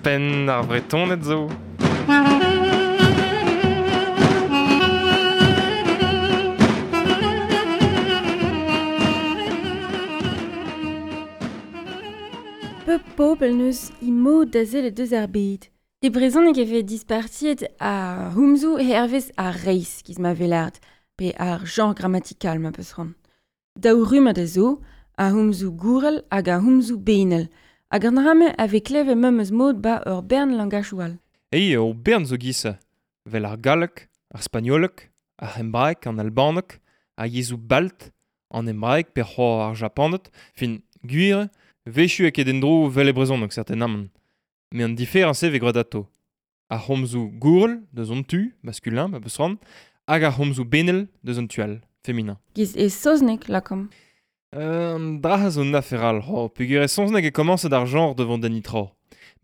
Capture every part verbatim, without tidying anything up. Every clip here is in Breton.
Penn ar Vretoned zo. Pep pobl neus he mod da sellet deus ar bed. E brezhoneg e vez dispartiet ar c'homzoù hervez ar reizh giz ma velard, pe ar genre grammatikal ma peus c'hoant. Daou rummad a zo, ar c'homzoù gourel hag ar c'homzoù benel. Hag an dra-mañ a vez klevet memes mod ba ur bern langajoù all. Ei, ur bern zo giz-se. Vel ar galleg, ar spagnoleg, ar c'hembraeg, an albaneg, ar yezhoù balt, an hebraeg pe c'hoazh ar japaned, fin gwir, wechoù eo ket en-dro vel e brezhoneg certainement. Met an diferañs e vez graet atao. Ar c'homzoù gourel deus an tu, masculin, ma peus c'hoant, hag ar c'homzoù benel deus an tu all, féminin. Giz e saozneg, lakaomp. Euh, an dra zo un afer all, ho, peogwir e saozneg e komañset ar genre devant an nitra.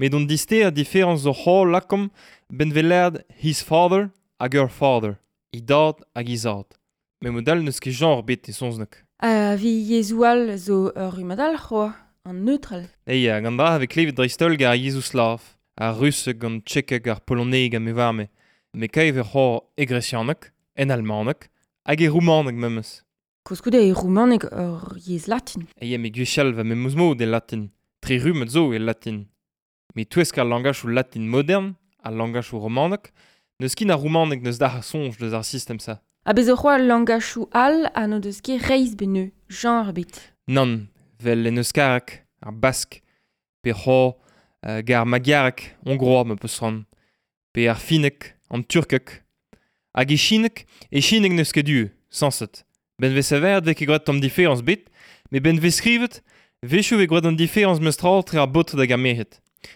Met an dister a diferañs zo c'ho lakaomp ben velerd his father hag her father, he dad hag he zad. Met mod all n'eus ket genre bet e saozneg. A vi yezhoù all zo ur rummad all c'hoazh, an neutral. Ei, hag an dra a vez klevet dreist-holl gant ar yezhoù slav, ar russeg, an tchekeg, ar poloneg ha me varme. Met kaev e c'hoazh e gresianeg, en almaneg, hag e roumaneg memes. Koulskoude e roumaneg ur yezh latin. Ei, me gwechall va memes mod e latin. Tri rummad zo e latin. Met touesk ar langajoù latin modern, al langajoù romaneg, n'eus ket ar roumaneg n'eus dac'h soñj deus ar sistem-se. Ha bez zo c'hoazh langajoù all ha n'o deus ket reizh beneu, genre ebet. Nann, vel en euskareg, ar bask, pe c'hoazh euh, gar magyareg, hongrois ma peus c'hoant, pe ar finneg, an turkeg. Hag e chineg, e chineg n'eus ket du, sañset. Ben vez savet vez ket graet tamm diferañs bet, met ben vez skrivet, wechoù vez graet an diferañs meus tra tre ar baotred hag ar merc'hed.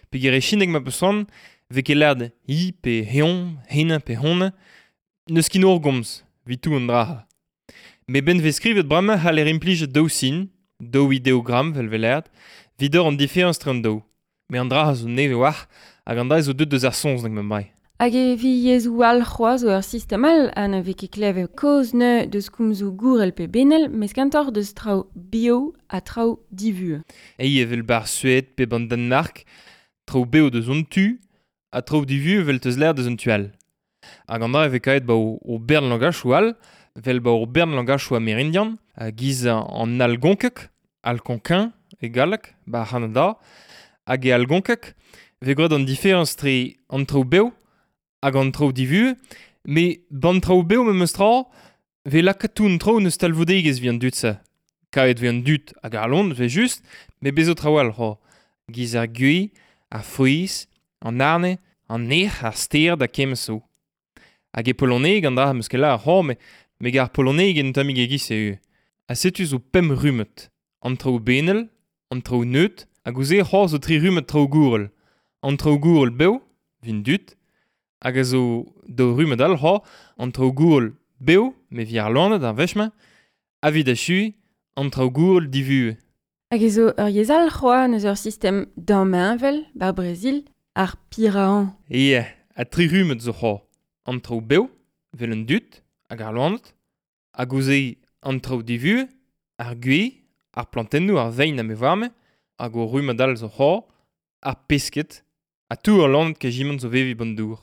Peogwir e chineg ma peus c'hoant, vez ket lâret hi pe heon, hennañ pe honnañ, n'eus ket ur gomz, evit tout an dra. Met ben vez skrivet bremañ c'haller implijet daou sin, daou ideogramm vel velerd, evit ober an diferañs tre an daou. Met an dra zo nevez war, hag an dra zo deuet deus ar saozneg ma mai. Hag e vi yezhoù all c'hoazh zo ur sistem all ha na vez ket klevet kaoz neu deus komzoù gourel pe benel, mes kentoc'h deus traoù bio ha traoù divuhez. Ei evel bar Sued pe ban Danmark, traoù bev deus an tu, ha traoù divuhez evel teus lâret deus an tu all. Hag an dra e vez kaet ba o, o bern langajoù all, vel ba o bern langajoù amerindian, giz an algonkeg, algonquin e galleg, ba Kanada, hag e algonkeg, vez graet an diferañs tre an traoù bev hag an traoù divuhez, met ban traoù bev memes tra, vez lakaet tout an traoù neus talvoudegezh evit an dud-se. Kaet vez an dud hag ar loen, vez just, met bez zo traoù all c'hoazh. Giz ar gwez, ar frouezh, an arne, an erc'h, ar stered ha kement zo. Hag e poloneg an dra am eus ket lâret c'hoazh, met me gar poloneg en tammig e-giz eo. Ha setu zo pemp rummad. An traoù benel, an traoù neut, hag ouzh c'hoazh zo tri rummad traoù gourel. An traoù gourel bev, vin dud, hag a zo daou rummad all c'hoazh, an traoù gourel bev, me vi ar loened ar wech-mañ, ha evit achuiñ, an traoù gourel divuhez. Hag e zo ur yezh all c'hoazh neus ur sistem damheñvel, bar Brazil, ar piraan. Ie, ha tri rummad zo c'hoazh. An traoù bev, vel an dud, hag ar loened, hag ouzh an traoù divuhez, ar gwez, ar plantennoù, ar vein ha me varme, hag o rummad all zo c'hoazh, ar pesked, ha tout ar loened kejimant zo veviñ ban dour.